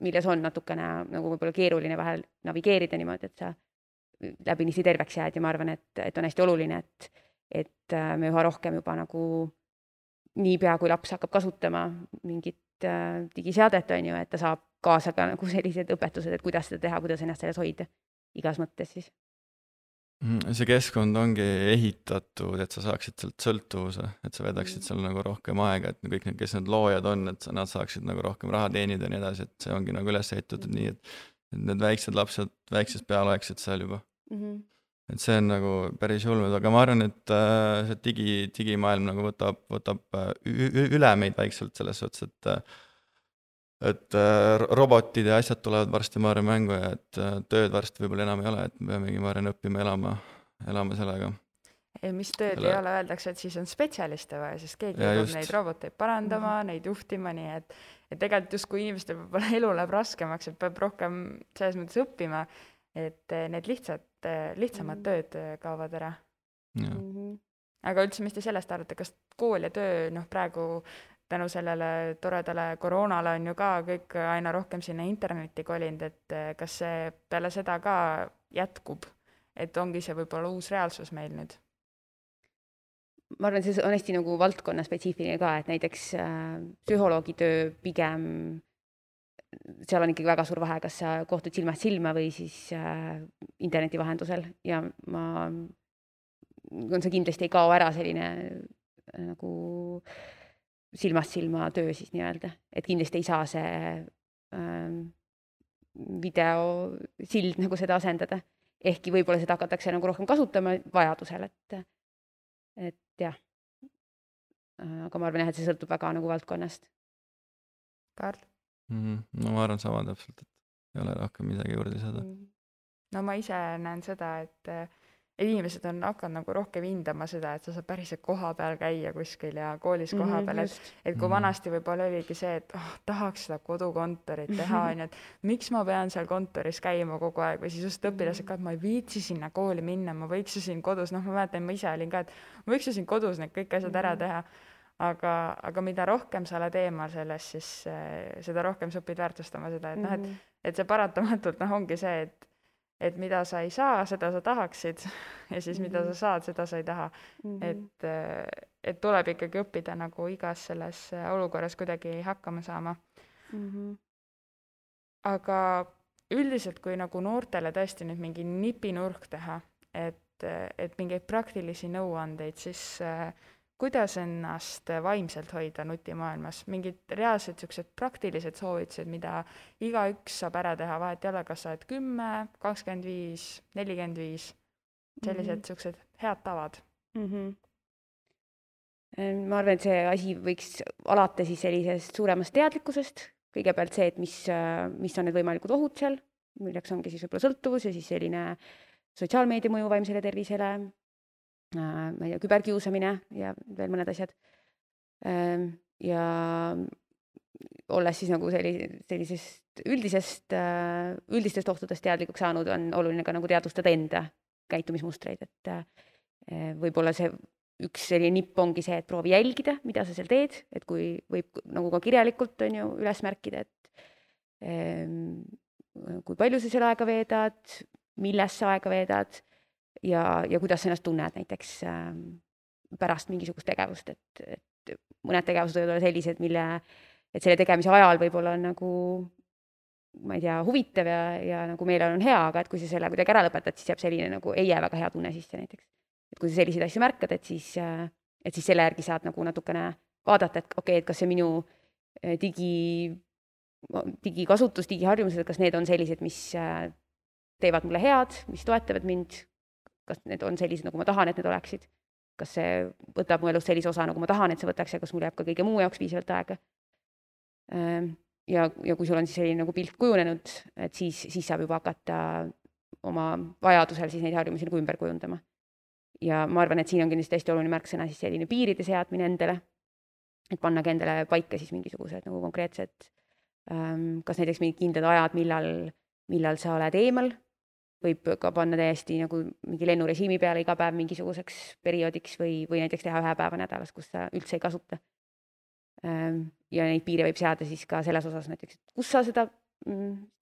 milles on natukene nagu võib-olla keeruline vahel navigeerida niimoodi, et sa läbinisti terveks jääd ja ma arvan, et on hästi oluline, et me üha rohkem juba nagu niipea, kui laps hakkab kasutama mingit digiseadet, on ju, et ta saab kaasa ka nagu sellised õpetused, et kuidas seda teha, kuidas ennast selles hoida igas mõttes siis. See keskkond ongi ehitatud, et sa saaksid sealt sõltuvuse, et sa vedaksid seal nagu rohkem aega, et kõik need, kes need loojad on, et nad saaksid nagu rohkem raha teenida ja nii edasi, et see ongi nagu üles ehitatud nii, et need väiksed lapsed väiksest peale oleksid seal juba. Et see on nagu päris julmed, aga ma arvan, et see digimaailm nagu võtab üle meid väikselt selles suhtes, et robotid ja asjad tulevad varsti ma arvan mängu ja et tööd varsti võib-olla enam ei ole, et me peamegi ma arvan õppima elama sellega. Mis tööd ei ole, öeldakse, et siis on spetsialiste vaja, sest keegi peab neid roboteid parandama, neid juhtima, nii et tegelikult just kui inimestel võib-olla elu läheb raskemaks, et peab rohkem selles mõttes õppima, et need lihtsamad tööd kaovad ära. Aga üldse, mis te sellest arvate, kas kool ja töö, praegu tänu sellele toredale koroonale on ju ka kõik aina rohkem sinna internetti kolinud, et kas see peale seda ka jätkub, et ongi see võib-olla uus reaalsus meil nüüd? Ma arvan, see on hästi nagu valdkonna spetsiifiline ka, et näiteks psühholoogi töö pigem, seal on ikkagi väga suur vahe, kas sa kohtud silmast silma või siis interneti vahendusel ja see kindlasti ei kao ära selline nagu silmast silma töö siis nii-öelda, et kindlasti ei saa see videosild nagu seda asendada, ehkki võib-olla seda hakatakse nagu rohkem kasutama vajadusel, et jah. Aga ma arvan jah, et see sõltub väga nagu valdkonnast. Karl? No ma arvan sama täpselt, et ei ole rohkem midagi juurde lisada. No ma ise näen seda, et inimesed on hakanud nagu rohkem hindama seda, et sa saad päriselt koha peal käia kuskil ja koolis koha peal, et kui vanasti võib-olla oligi see, et tahaks seda kodukontorit teha, on ju, et miks ma pean seal kontoris käima kogu aeg või siis just õpilased ka, et ma ei viitsi sinna kooli minna, ma võiks ju siin kodus, ma mäletan, ma ise olin ka, et ma võiks ju siin kodus need kõik asjad ära teha, aga mida rohkem sa oled eemal sellest, siis seda rohkem sa õpid väärtustama seda, et see paratamatult ongi see, et mida sa ei saa, seda sa tahaksid ja siis mida sa saad, seda sa ei taha. Et tuleb ikkagi õppida nagu igas selles olukorras kuidagi hakkama saama. Aga üldiselt, kui nagu noortele tõesti nüüd mingi nipinurk teha, et mingeid praktilisi nõuandeid, siis kuidas ennast vaimselt hoida nutimaailmas? Mingid reaalsed sellised praktilised soovitused, mida igaüks saab ära teha, vahet ei ole, kas sa oled 10, 25, 45, sellised sellised head tavad. Ma arvan, et see asi võiks alata siis sellisest suuremast teadlikkusest. Kõigepealt see, et mis on need võimalikud ohud seal, milleks ongi siis võib-olla sõltuvus ja siis selline sotsiaalmeedia mõju vaimsele tervisele, ma ei tea, küberkiusamine ja veel mõned asjad. Ja olles siis nagu sellisest üldistest ohtudest teadlikuks saanud, on oluline ka nagu teadvustada enda käitumismustreid, et võib-olla see üks selline nipp ongi see, et proovi jälgida, mida sa seal teed, et kui võib nagu ka kirjalikult on ju üles märkida, et kui palju sa seal aega veedad, milles sa aega veedad, ja kuidas sa ennast tunned näiteks pärast mingisugust tegevust, et mõned tegevused võivad olla sellised, et selle tegemise ajal võib-olla on nagu, ma ei tea, huvitav ja nagu meelel on hea, aga et kui sa selle kuidagi ära lõpetad, siis jääb selline nagu ei jää väga hea tunne sisse näiteks. Et kui sa selliseid asju märkad, et siis selle järgi saad nagu natukene vaadata, et okei, et kas see minu digikasutus, digiharjumused, kas need on sellised, mis teevad mulle head, mis toetavad mind, kas need on sellised, nagu ma tahan, et need oleksid, kas see võtab mu elust sellise osa, nagu ma tahan, et see võtaks ja kas mul jääb ka kõige muu jaoks piisavalt aega. Ja kui sul on siis selline nagu pilt kujunenud, et siis saab juba hakata oma vajadusel siis neid harjumusi nagu ümber kujundama. Ja ma arvan, et siin on kindlasti hästi oluline märksõna siis selline piiride seadmine endale, et pannagi endale paika siis mingisugused nagu konkreetsed, kas näiteks mingid kindlad ajad, millal sa oled eemal, võib ka panna täiesti nagu mingi lennurežiimi peale iga päev mingisuguseks perioodiks või näiteks teha 1 päeva nädalas, kus sa üldse ei kasuta. Ja neid piire võib seada siis ka selles osas näiteks, kus sa seda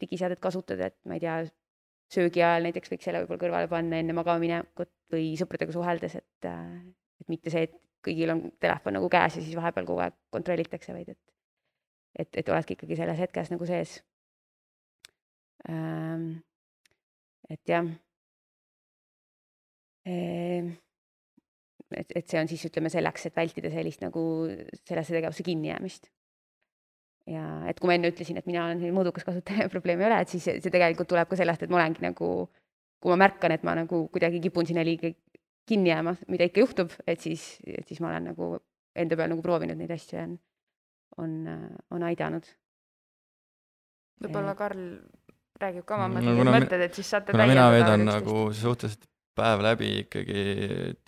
digiseadet kasutad, et ma ei tea, söögi ajal näiteks võiks selle võib-olla kõrvale panna enne magamaminekut või sõpradega suheldes, et mitte see, et kõigil on telefon nagu käes ja siis vahepeal kogu aeg kontrollitakse, vaid et oledki ikkagi selles hetkes nagu sees. Et jah, et see on siis ütleme selleks, et vältida sellist nagu sellesse tegevusse kinni jäämist. Ja et kui ma enne ütlesin, et mina olen mõõdukas kasutaja ja probleemi ei ole, et siis see tegelikult tuleb ka sellest, et ma olengi nagu, kui ma märkan, et ma nagu kuidagi kipun sinna liiga kinni jääma, mida ikka juhtub, et siis ma olen nagu enda peal nagu proovinud neid asju ja on aidanud. Võib-olla Karl räägib ka oma mõtted, et siis saate kuna mina veedan nagu suhteliselt päev läbi ikkagi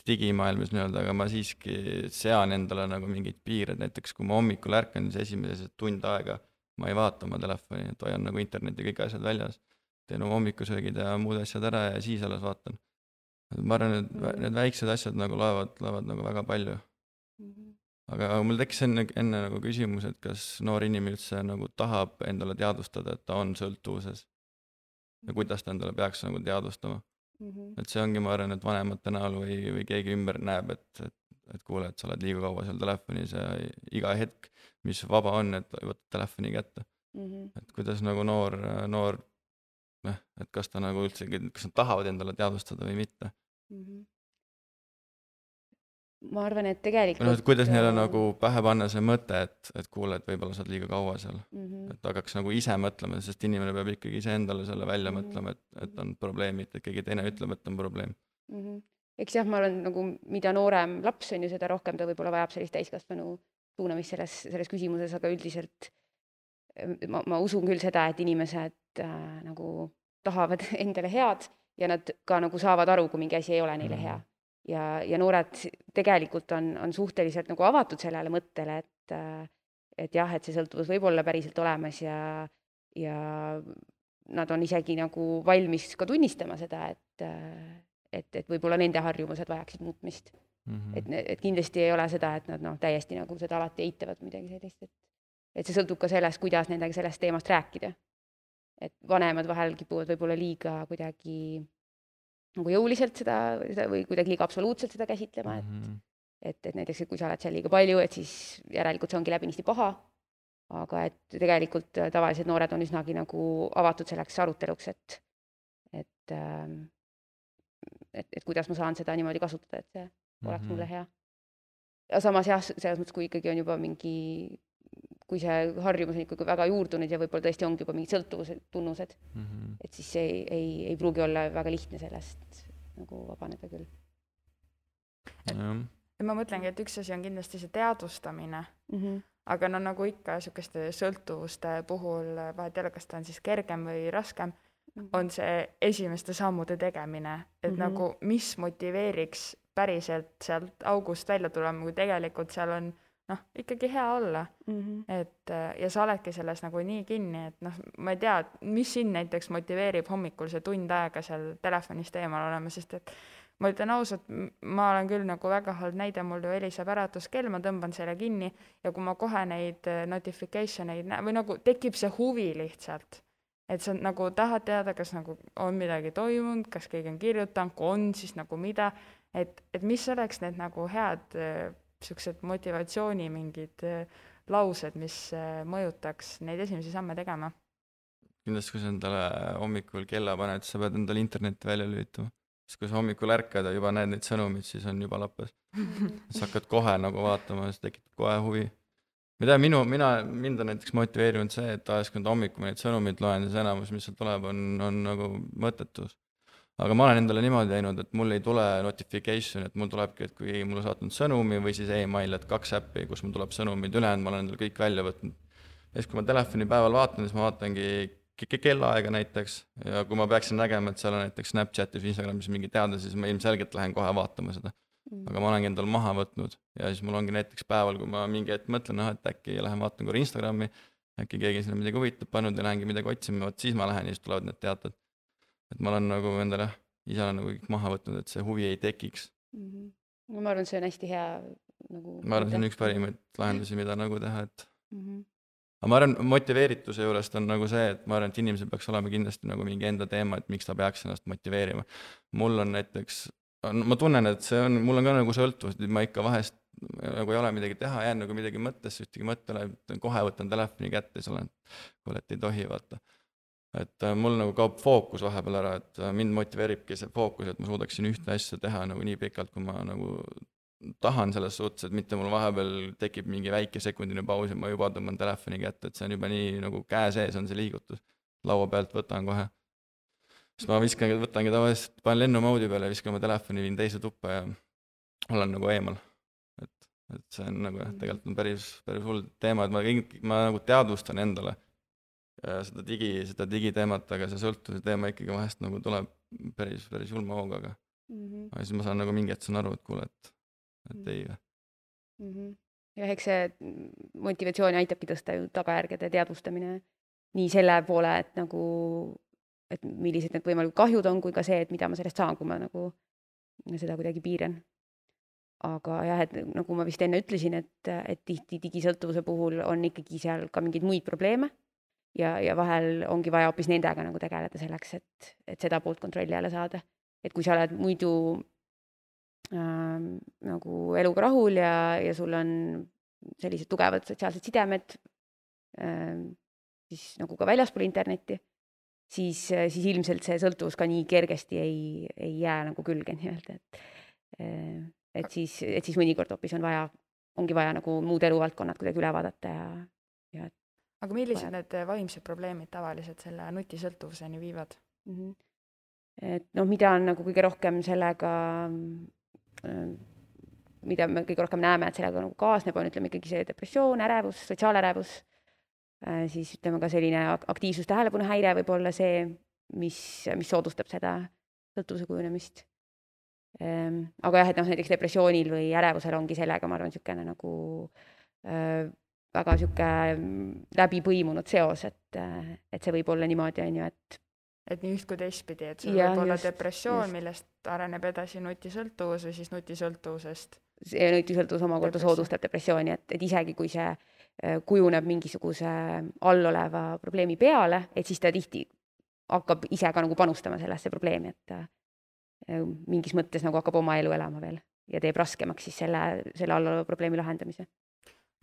digimaailmas nii-öelda, aga ma siiski sean endale nagu mingeid piired, näiteks kui ma hommikul ärkan, siis esimesed tund aega ma ei vaata oma telefoni, et hoian nagu interneti kõik asjad väljas, teen oma hommikusöögid ja muud asjad ära ja siis alles vaatan. Ma arvan, et need väiksed asjad nagu loevad nagu väga palju. Aga mul tekkis enne nagu küsimus, et kas noor inimene üldse nagu tahab endale teadvustada, et ta on sõltuvuses ja kuidas ta endale peaks nagu teadvustama. Et see ongi, ma arvan, et vanemate näol või keegi ümber näeb, et kuule, et sa oled liiga kaua seal telefonis ja iga hetk, mis vaba on, et võtad telefoni kätte. Et kuidas nagu noor, et kas ta nagu üldse, kas nad tahavad endale teadvustada või mitte. Ma arvan, et tegelikult... No, et kuidas neile nagu pähe panna see mõte, et kuule, et võib-olla sa oled liiga kaua seal. Et hakkaks nagu ise mõtlema, sest inimene peab ikkagi ise endale selle välja mõtlema, et on probleemid, et keegi teine ütleb, et on probleem. Eks jah, ma arvan, nagu mida noorem laps on ju, seda rohkem ta võib-olla vajab sellist täiskasvanu suunamist selles küsimuses, aga üldiselt ma usun küll seda, et inimesed nagu tahavad endale head ja nad ka nagu saavad aru, kui mingi asi ei ole neile hea. Ja noored tegelikult on suhteliselt nagu avatud sellele mõttele, et jah, et see sõltuvus võib olla päriselt olemas ja nad on isegi nagu valmis ka tunnistama seda, et võib-olla nende harjumused vajaksid muutmist. Et kindlasti ei ole seda, et nad täiesti nagu seda alati eitavad midagi sellist, et see sõltub ka sellest, kuidas nendega sellest teemast rääkida. Et vanemad vahel kipuvad võib-olla liiga kuidagi nagu jõuliselt seda või kuidagi liiga absoluutselt seda käsitlema, et näiteks, et kui sa oled seal liiga palju, et siis järelikult see ongi läbinisti paha, aga et tegelikult tavalised noored on üsnagi nagu avatud selleks aruteluks, et kuidas ma saan seda niimoodi kasutada, et see oleks mulle hea. Ja samas jah, selles mõttes, kui ikkagi on juba kui see harjumus on ikkagi väga juurdunud ja võib-olla tõesti ongi juba mingid sõltuvused tunnused, et siis ei pruugi olla väga lihtne sellest nagu vabaneda küll. Ma mõtlengi, et üks asi on kindlasti see teadvustamine, aga nagu ikka niisuguste sõltuvuste puhul, vahet jälle, kas ta on siis kergem või raskem, on see esimeste sammude tegemine, et nagu mis motiveeriks päriselt sealt august välja tulema, kui tegelikult seal on ikkagi hea olla. Et, ja sa oledki selles nagu nii kinni, et ma ei tea, mis sind näiteks motiveerib hommikul see tund aega seal telefonist eemal olema, sest et ma ütlen ausalt, ma olen küll nagu väga halb näide, mul ju heliseb äratuskell, ma tõmban selle kinni ja kui ma kohe neid notificationeid või nagu tekib see huvi lihtsalt, et sa nagu tahad teada, kas nagu on midagi toimunud, kas keegi on kirjutanud, kui on, siis nagu mida, et mis oleks need nagu head sellised motivatsiooni mingid laused, mis mõjutaks neid esimesi samme tegema. Kindlasti, kui sa endale hommikul kella paned, sa pead endale internetti välja lülitama. Sest kui sa hommikul ärkad ja juba näed neid sõnumid, siis on juba lappas. Sa hakkad kohe nagu vaatama, see tekitab kohe huvi. Mida mind on näiteks motiveerinud see, et ajast, kui hommikul neid sõnumid loen, siis enamus, mis seal tuleb, on nagu mõttetus. Aga ma olen endale niimoodi teinud, et mul ei tule notification, et mul tulebki, et kui mulle saatnud sõnumi või siis email, et 2 äppi, kus mul tuleb sõnumid ülejäänud, ma olen endale kõik välja võtnud. Ja siis, kui ma telefoni päeval vaatan, siis ma vaatangi kellaaega näiteks ja kui ma peaksin nägema, et seal on näiteks Snapchatis või Instagramis mingi teada, siis ma ilmselgelt lähen kohe vaatama seda. Aga ma olengi endale maha võtnud ja siis mul ongi näiteks päeval, kui ma mingi hetk mõtlen, et äkki lähen vaatan korra Instagrami, äkki keegi sinna midagi huvitab pannud ja lähengi midagi otsima, siis ma lähen ja siis tulevad need teated. Et ma olen nagu endale ise olen nagu kõik maha võtnud, et see huvi ei tekiks. Ma arvan, see on hästi hea nagu... Ma arvan, see on üks parimaid lahendusi, mida nagu teha, et... aga ma arvan, motiveerituse juurest on nagu see, et ma arvan, et inimesel peaks olema kindlasti nagu mingi enda teema, et miks ta peaks ennast motiveerima. Mul on näiteks, ma tunnen, et see on, mul on ka nagu sõltuvus, et ma ikka vahest nagu ei ole midagi teha, jään nagu midagi mõttesse, ühtegi mõttele, kohe võtan telefoni kätte, siis olen, kuule, et ei tohi, vaata. Et mul nagu kaob fookus vahepeal ära, et mind motiveeribki see fookus, et ma suudaksin ühte asja teha nagu nii pikalt, kui ma nagu tahan selles suhtes, et mitte mul vahepeal tekib mingi väike sekundine paus ja ma juba tõmban telefoni kätte, et see on juba nii nagu käe sees on see liigutus. Laua pealt võtan kohe. Siis ma võtangi tavaliselt, panen lennumoodi peale ja viskan oma telefoni, viin teise tuppa ja olen nagu eemal. Et see on nagu tegelikult on päris hull teema, et ma nagu teadvustan endale seda digiteemat, aga see sõltuvuse teema ikkagi vahest nagu tuleb päris julma hooga, aga siis ma saan nagu mingi hetk saan aru, et kuule, et ei. Ja eks see motivatsiooni aitabki tõsta ju tagajärgede teadvustamine nii selle poole, et nagu, et millised need võimalikud kahjud on, kui ka see, et mida ma sellest saan, kui ma nagu seda kuidagi piiran. Aga jah, et nagu ma vist enne ütlesin, et tihti digisõltuvuse puhul on ikkagi seal ka mingeid muid probleeme ja vahel ongi vaja hoopis nendega nagu tegeleda selleks, et seda poolt kontrolli alla saada. Et kui sa oled muidu nagu eluga rahul ja sul on sellised tugevad sotsiaalsed sidemed siis nagu ka väljaspool internetti, siis ilmselt see sõltuvus ka nii kergesti ei jää nagu külge nii-öelda, et siis mõnikord hoopis ongi vaja nagu muud eluvaldkonnad kuidagi üle vaadata ja aga millised need vaimsed probleemid tavaliselt selle nutisõltuvuseni viivad? Et mida on nagu kõige rohkem sellega, mida me kõige rohkem näeme, et sellega nagu kaasneb, on ütleme ikkagi see depressioon, ärevus, sotsiaalärevus, siis ütleme ka selline aktiivsus tähelepanuhäire võib olla see, mis soodustab seda sõltuvuse kujunemist. Aga jah, et näiteks depressioonil või ärevusel ongi sellega, ma arvan, niisugune nagu väga niisugune läbi põimunud seos, et see võib olla niimoodi, on ju, et nii üht kui teistpidi, et sul võib olla depressioon, millest areneb edasi nutisõltuvus või siis nutisõltuvusest. See nutisõltuvus omakorda soodustab depressiooni, et isegi kui see kujuneb mingisuguse alloleva probleemi peale, et siis ta tihti hakkab ise ka nagu panustama sellesse probleemi, et mingis mõttes nagu hakkab oma elu elama veel ja teeb raskemaks siis selle alloleva probleemi lahendamise.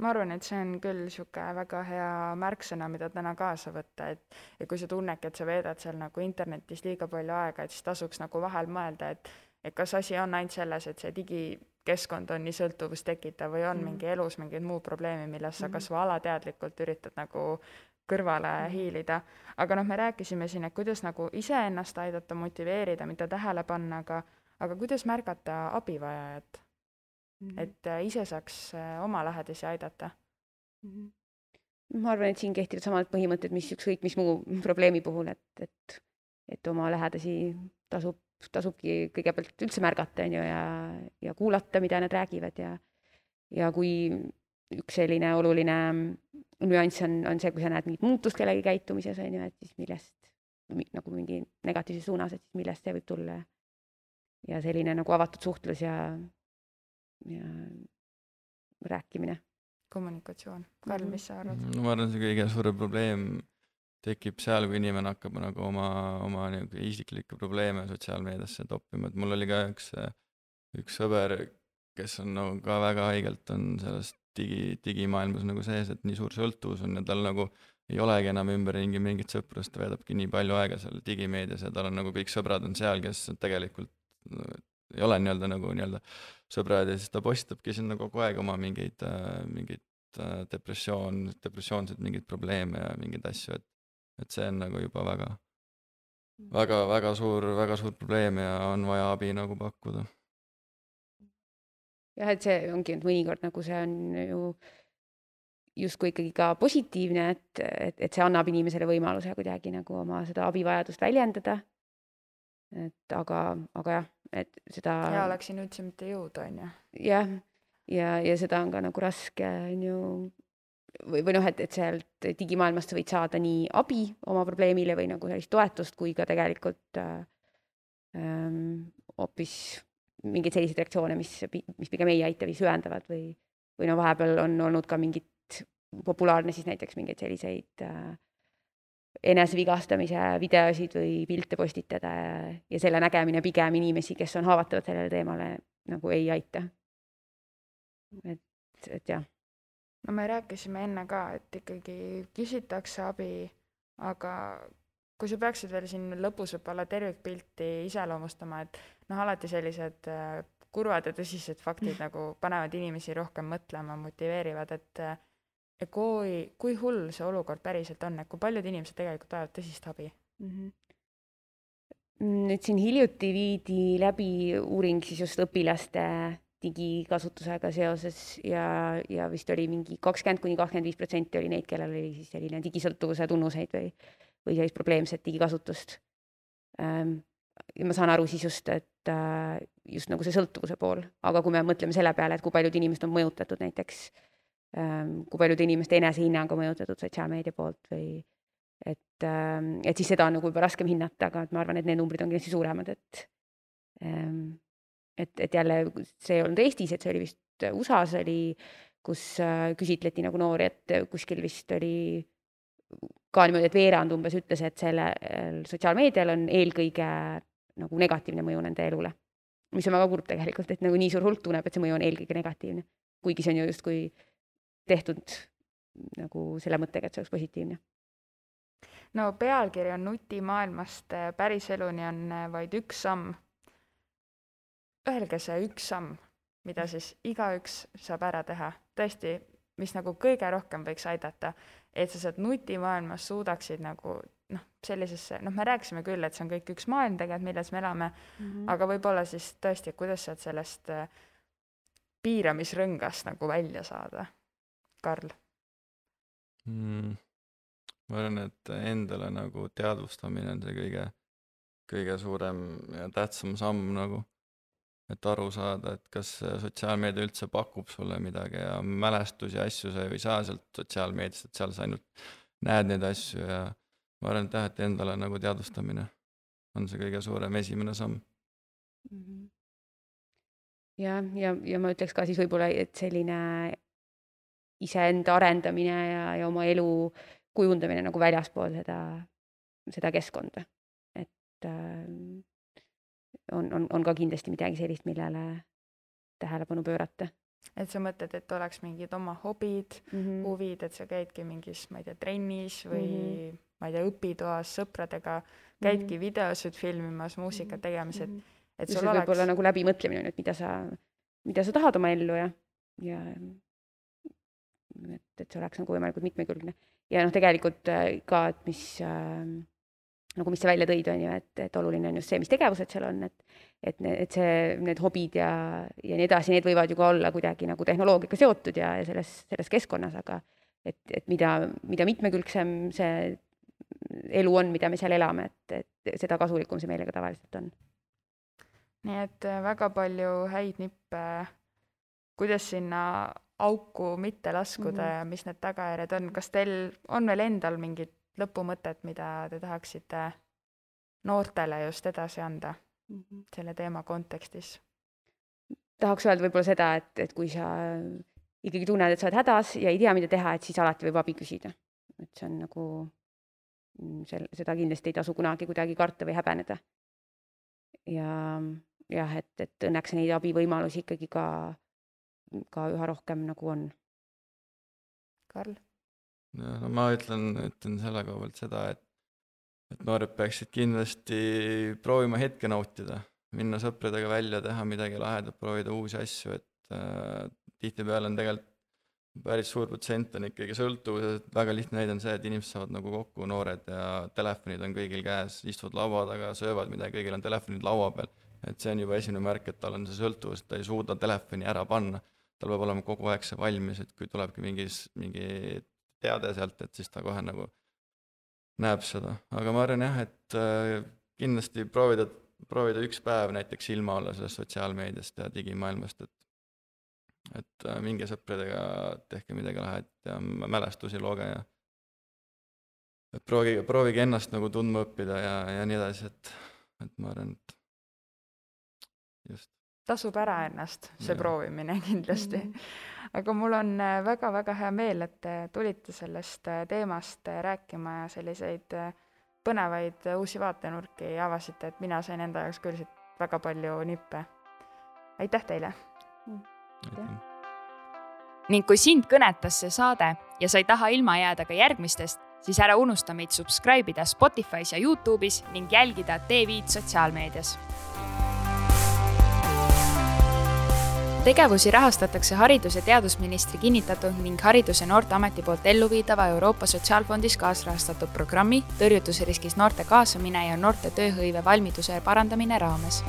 Ma arvan, et see on küll niisugune väga hea märksõna, mida täna kaasa võtta, et kui sa tunnedki, et sa veedad seal nagu internetis liiga palju aega, et siis tasuks nagu vahel mõelda, et kas asi on ainult selles, et see digikeskkond on nii sõltuvust tekitav või on mingi elus mingid muud probleemi, millest sa kas või alateadlikult üritad nagu kõrvale hiilida. Aga me rääkisime siin, et kuidas nagu iseennast aidata, motiveerida, mida tähele panna, aga kuidas märgata abivajajat? Et ise saaks oma lähedasi aidata. Ma arvan, et siin kehtivad samad põhimõtted, mis ükskõik mis muu probleemi puhul, et oma lähedasi tasubki kõigepealt üldse märgata ja kuulata, mida nad räägivad ja kui üks selline oluline nüanss on see, kui sa näed mingit muutust kellegi käitumises, on ju, et siis millest nagu mingi negatiivses suunas, et siis millest see võib tulla ja selline nagu avatud suhtlus ja rääkimine. Kommunikatsioon. Karl, mis sa arvad? No ma arvan, see kõige suurem probleem tekib seal, kui inimene hakkab nagu oma isiklikke probleeme sotsiaalmeediasse toppima, et mul oli ka üks sõber, kes on nagu ka väga haigelt on sellest digimaailmas nagu sees, et nii suur sõltuvus on ja tal nagu ei olegi enam ümberringi mingit sõprust, ta veedabki nii palju aega seal digimeedias ja tal on nagu kõik sõbrad on seal, kes tegelikult ei ole nii-öelda sõbrad ja siis ta postitabki sinna kogu aeg oma mingeid depressioonseid mingeid probleeme ja mingeid asju, et see on nagu juba väga suur probleem ja on vaja abi nagu pakkuda. Jah, et see ongi, et mõnikord nagu see on ju justkui ikkagi ka positiivne, et see annab inimesele võimaluse kuidagi nagu oma seda abivajadust väljendada. Et aga jah, et seda... Ja oleks siin üldse mitte jõud, on ju. Jah, ja seda on ka nagu raske, on ju, või noh, et sealt digimaailmast võid saada nii abi oma probleemile või nagu sellist toetust, kui ka tegelikult hoopis mingeid selliseid reaktsioone, mis pigem ei aita või süvendavad või no vahepeal on olnud ka mingit populaarne siis näiteks mingeid selliseid enesevigastamise videosid või pilte postitada ja selle nägemine pigem inimesi, kes on haavatavad sellele teemale, nagu ei aita. Et jah. No me rääkisime enne ka, et ikkagi küsitakse abi, aga kui sa peaksid veel siin lõpus võib-olla tervikpilti iseloomustama, et alati sellised kurvad ja tõsised faktid nagu panevad inimesi rohkem mõtlema, motiveerivad, et kui hull see olukord päriselt on, et kui paljud inimesed tegelikult vajavad tõsist abi? Nüüd siin hiljuti viidi läbi uuring siis just õpilaste digikasutusega seoses ja vist oli mingi 20–25% oli neid, kellel oli siis selline digisõltuvuse tunnuseid või sellist probleemset digikasutust. Ja ma saan aru siis just, et just nagu see sõltuvuse pool, aga kui me mõtleme selle peale, et kui paljud inimesed on mõjutatud näiteks, kui paljude inimeste enesehinnang on mõjutatud sotsiaalmeedia poolt või et siis seda on nagu juba raskem hinnata, aga ma arvan, et need numbrid on kindlasti suuremad, et jälle see ei olnud Eestis, et see oli vist USA-s oli, kus küsitleti nagu noori, et kuskil vist oli ka niimoodi, et veerand umbes ütles, et selle sotsiaalmeedial on eelkõige nagu negatiivne mõju nende elule, mis on väga kurb tegelikult, et nagu nii suur hulk tunneb, et see mõju on eelkõige negatiivne, kuigi see on ju justkui tehtud nagu selle mõttega, et see oleks positiivne. No pealkiri on nutimaailmast päris eluni on vaid üks samm. Öelge see üks samm, mida siis igaüks saab ära teha. Tõesti, mis nagu kõige rohkem võiks aidata, et sa sealt nutimaailmas suudaksid nagu sellisesse, me rääkisime küll, et see on kõik üks maailm tegelikult, milles me elame, aga võib-olla siis tõesti, kuidas sealt sellest piiramisrõngast nagu välja saada. Karl? Ma arvan, et endale nagu teadvustamine on see kõige suurem ja tähtsam samm nagu, et aru saada, et kas sotsiaalmeedia üldse pakub sulle midagi ja mälestusi ja asju sa ei saa sealt sotsiaalmeediast, et seal sa ainult näed neid asju ja ma arvan, et et endale nagu teadvustamine on see kõige suurem esimene samm. Ja ma ütleks ka siis võib-olla, et selline iseenda arendamine ja oma elu kujundamine nagu väljaspool seda keskkonda. Et on ka kindlasti midagi sellist, millele tähelepanu pöörata. Et sa mõtled, et oleks mingid oma hobid, huvid, et sa käidki mingis, ma ei tea, trennis või ma ei tea, õpitoas sõpradega, käidki videosid filmimas, muusikat tegemas, et sul oleks... Võib-olla nagu läbimõtlemine, et mida sa tahad oma ellu ja et see oleks nagu võimalikult mitmekülgne. Ja tegelikult ka, et mis sa välja tõid, on ju, et oluline on just see, mis tegevused seal on, et need hobid ja nii edasi, need võivad ju ka olla kuidagi nagu tehnoloogiaga seotud ja selles keskkonnas, aga et mida mitmekülgsem see elu on, mida me seal elame, et seda kasulikum see meile ka tavaliselt on. Nii et väga palju häid nippe, kuidas sinna auku mitte laskuda ja mis need tagajärjed on. Kas teil on veel endal mingid lõpumõtet, mida te tahaksite noortele just edasi anda selle teema kontekstis? Tahaks öelda võib-olla seda, et kui sa ikkagi tunned, et sa oled hädas ja ei tea, mida teha, et siis alati võib abi küsida. Et see on nagu, seda kindlasti ei tasu kunagi kuidagi karta või häbeneda. Ja jah, et õnneks neid abivõimalusi ikkagi ka üha rohkem nagu on. Karl? No ma ütlen selle koha pealt seda, et noored peaksid kindlasti proovima hetke nautida, minna sõpradega välja, teha midagi lahedat, proovida uusi asju, et tihtipeale on tegelikult päris suur protsent on ikkagi sõltuvus, väga lihtne näide on see, et inimesed saavad nagu kokku noored ja telefonid on kõigil käes, istuvad laua taga, söövad midagi, kõigil on telefonid laua peal, et see on juba esimene märk, et tal on see sõltuvus, ta ei suuda telefoni ära panna, tal peab olema kogu aeg see valmis, et kui tulebki mingi teade sealt, et siis ta kohe nagu näeb seda. Aga ma arvan jah, et kindlasti proovida üks päev näiteks ilma olla sellest sotsiaalmeediast ja digimaailmast, et minge sõpradega, tehke midagi lahet ja mälestusi looge ja et proovige ennast nagu tundma õppida ja nii edasi, et ma arvan, et just. Tasub ära ennast, see proovimine kindlasti. aga mul on väga-väga hea meel, et te tulite sellest teemast rääkima ja selliseid põnevaid uusi vaatenurki avasite, et mina sain enda jaoks küll siit väga palju nippe. Aitäh teile! Ning kui sind kõnetas see saade ja sa ei taha ilma jääda ka järgmistest, siis ära unusta meid subscribe ida Spotify's ja YouTube'is ning jälgida T5 sotsiaalmeedias. Tegevusi rahastatakse Haridus- ja teadusministri kinnitatud ning Haridus- ja Noorteameti poolt elluviidava Euroopa Sotsiaalfondis kaasrahastatud programmi tõrjutusriskis noorte kaasamine ja noorte tööhõive valmiduse parandamine raames.